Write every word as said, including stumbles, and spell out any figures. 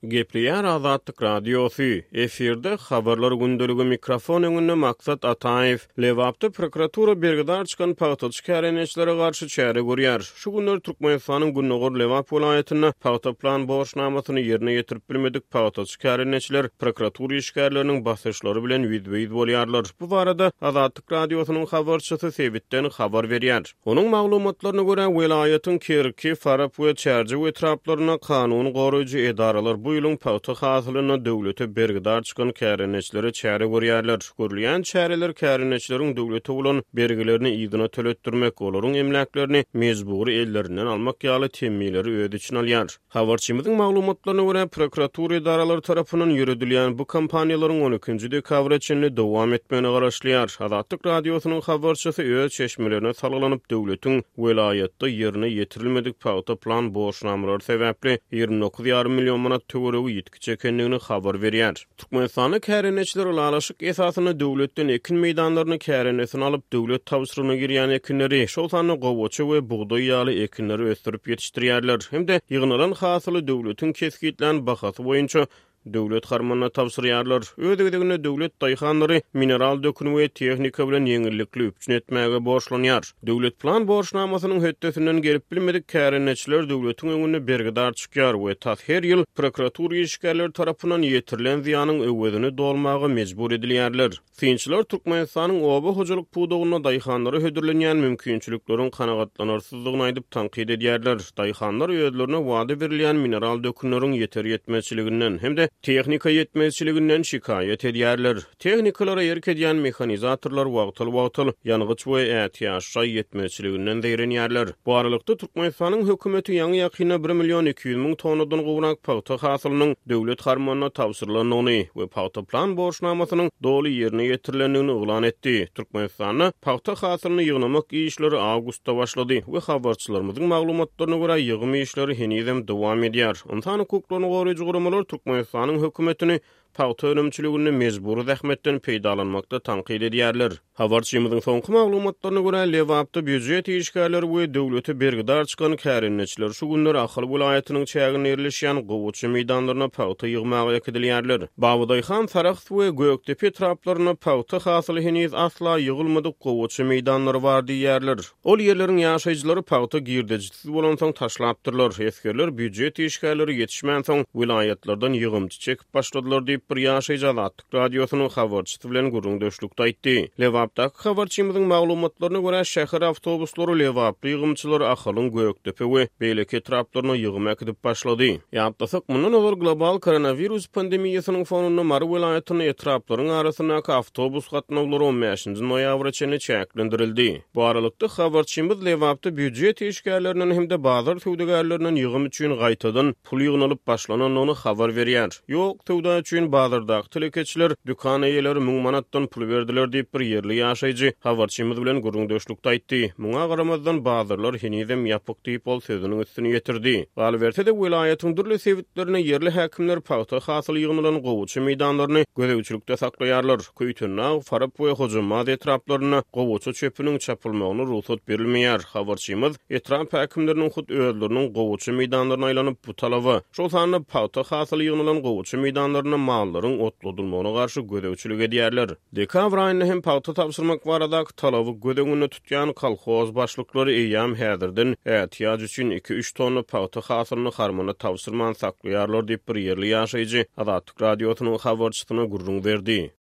Gepleýär Azatlyk Radiosy, efirde Habarlar gündeligi, mikrofon öňünde Maksat Ataýew. Lebapda prokuratura bergidar çykan pagtaçy kärendeçilere garşy çäre görýär. Şu günler Türkmenistanyň gündogar Lebap welaýatynda pagta plan borçnamasyny ýerine ýetirip bilmedik pagtaçy kärendeçiler prokuratura işgärleriniň basyşlary bilen ýüzbe-ýüz bolýarlar. Bu barada Azatlyk Radiosynyň habarçysy sebitden habar berýär. Onuň maglumatlaryna görä, welaýatyň Kerki, Farap we Çärjew etraplarynda kanun goraýjy edaralar bu ýylyň pagta hasylynda döwlete bergidar çykan kärendeçilere çäre görýärler. Görülýän çäreler kärendeçileriň döwlete bolan bergilerini yzyna töletdirmek, olaryň emläklerini mejbury ellerinden almak ýaly temmileri öz içine alýar. Habarçymyzyň maglumatlaryna görä, prokuratura edaralary tarapyndan ýöredilýän bu kampaniýalaryň on ikinji dekabra çenli dowam etmegine garaşylýar. Azatlyk Radiosynyň habarçysy öz çeşmelerine salgylanyp, döwletiň welaýatda ýerine ýetirilmedik pagta plan borçnamalary sebäpli ýigrimi dokuz ýarym million manat töweregi ýitgi çekendigini habar berýär. Türkmenistanda kärendeçiler ylalaşyk esasynda döwletden ekin meýdanlaryny kärendesine alyp, döwlet tabşyrygyna girýän ekinleri, şol sanda gowaça we bugdaý ýaly ekinleri ösdürip ýetişdirýärler hem-de ýygnalan hasyly döwletiň kesgitlän bahasy boýunça döwlet harmanyna tabşyrýarlar. Öz gezeginde döwlet daýhanlary mineral dökün we tehnika bilen ýeňillikli üpjün etmäge borçlanýar. Döwlet plan borçnamasynyň hötdesinden gelip bilmedik kärendeçiler döwletiň öňünde bergidar çykýar we tas her ýyl prokuratura işgärleri tarapyndan ýetirilen zyýanyň öwezini dolmaga mejbur edilýärler. Synçylar Türkmenistanyň oba hojalyk pudagynda daýhanlara hödürlenýän mümkinçilikleriň kanagatlanarsyzlygyny aýdyp tankyt edýärler. Daýhanlar özlerine wada berilýän mineral dökünleriň ýeter ýetmezçiliginden hem-de tehnika ýetmezçiliginden şikaýat edýärler. Tehnikalara erk edýän mehanizatorlar wagtal-wagtal ýangyç we ätiýaç ýetmezçiliginden zeýrenýärler. Bu aralykda Türkmenistanyň hökümeti ýaňy ýakynda bir million iki ýüz müň tonnadan gowrak pagta hasylynyň döwlet harmanyna tabşyrylandygyny we pagta plan borçnamasynyň doly ýerine ýetirilendigini yglan etdi. Türkmenistanda pagta hasylyny ýygnamak işleri awgustda başlady we habarçylarymyzyň maglumatlaryna görä ýygym işleri henizem dowam edýär. Ynsan hukuklaryny goraýjy guramalar Türkmenistanyň hökümetini pagta önümçiliginde mejbury zähmetden peýdalanmakda tankyt edýärler. Habarçymyzyň soňky maglumatlaryna görä, Lebapda býujet işgärleri we döwlete bergidar çykan kärendeçiler şu günler Ahal welaýatynyň çäginde ýerleşýän gowaça meýdanlaryna pagta ýygmaga äkidilýärler. Babadaýhan, Sarahs we Gökdepe etraplarynda pagta hasyly heniz asla ýygylmadyk gowaça meýdanlary bar diýýärler. Ol ýerleriň ýaşaýjylary pagta girdejisiz bolansoň taşlapdyrlar. Esgerler býujet işgärleri ýetişmänsoň welaýatlardan ýygymçy çekip başladylar diýip bir ýaşaýjy Azatlyk Radiosynyň habarçysy bilen gürrüňdeşlikde aýtdy. Lebapdaky habarçymyzyň maglumatlaryna görä, şäher awtobuslary Lebaply ýygymçylary Ahalyň Gökdepe we beýleki etraplaryna ýygym äkidip başlady. Ýatlasak, mundan ozal global koronawirus pandemiýasynyň fonunda Mary welaýatynda etraplaryň arasyndaky awtobus gatnawlary on bäşinji noýabra çenli çäklendirildi. Bu aralykda habarçymyz Lebapda býujet işgärlerinden hem-de bazar söwdagärlerinden ýygym üçin gaýtadan pul ýygnalyp başlanandygyny habar berýär. Ýok, söwda üçin bazardaky telekeçiler dükan eýeleri müň manatdan pul berdiler diýip bir ýerli ýaşaýjy habarçymyz bilen gürrüňdeşlikde aýtdy. Muňa garamazdan bazarlar henizem ýapyk diýip ol sözüniň üstüni ýetirdi. Galyberse-de welaýatyň dürli sebitlerine ýerli häkimler pagta hasyly ýygnalan gowaça meýdanlaryny gözegçilikde saklaýarlar. Köýtendag, Farap we Hojambaz etraplarynda gowaça çöpüniň çapylmagyna rugsat berilmeýär. Habarçymyz etrap häkimleriniň hut özleriniň gowaça meýdanlaryna aýlanyp bu talaba, şol sanda pagta hasyly ýygnalan gowaça meýdanlaryna mallaryň otladylmagyna garşy gözegçilik edýärler. Dekabr aýynda hem pagta tabşyrmak baradaky talaby göz öňünde tutýan kolhoz başlyklary eýýäm häzirden ätiýaç üçin iki-üç tonna pagta hasylyny harmana tabşyrman saklaýarlar diýip bir ýerli ýaşaýjy Azatlyk Radiosynyň habarçysyna gürrüň berdi.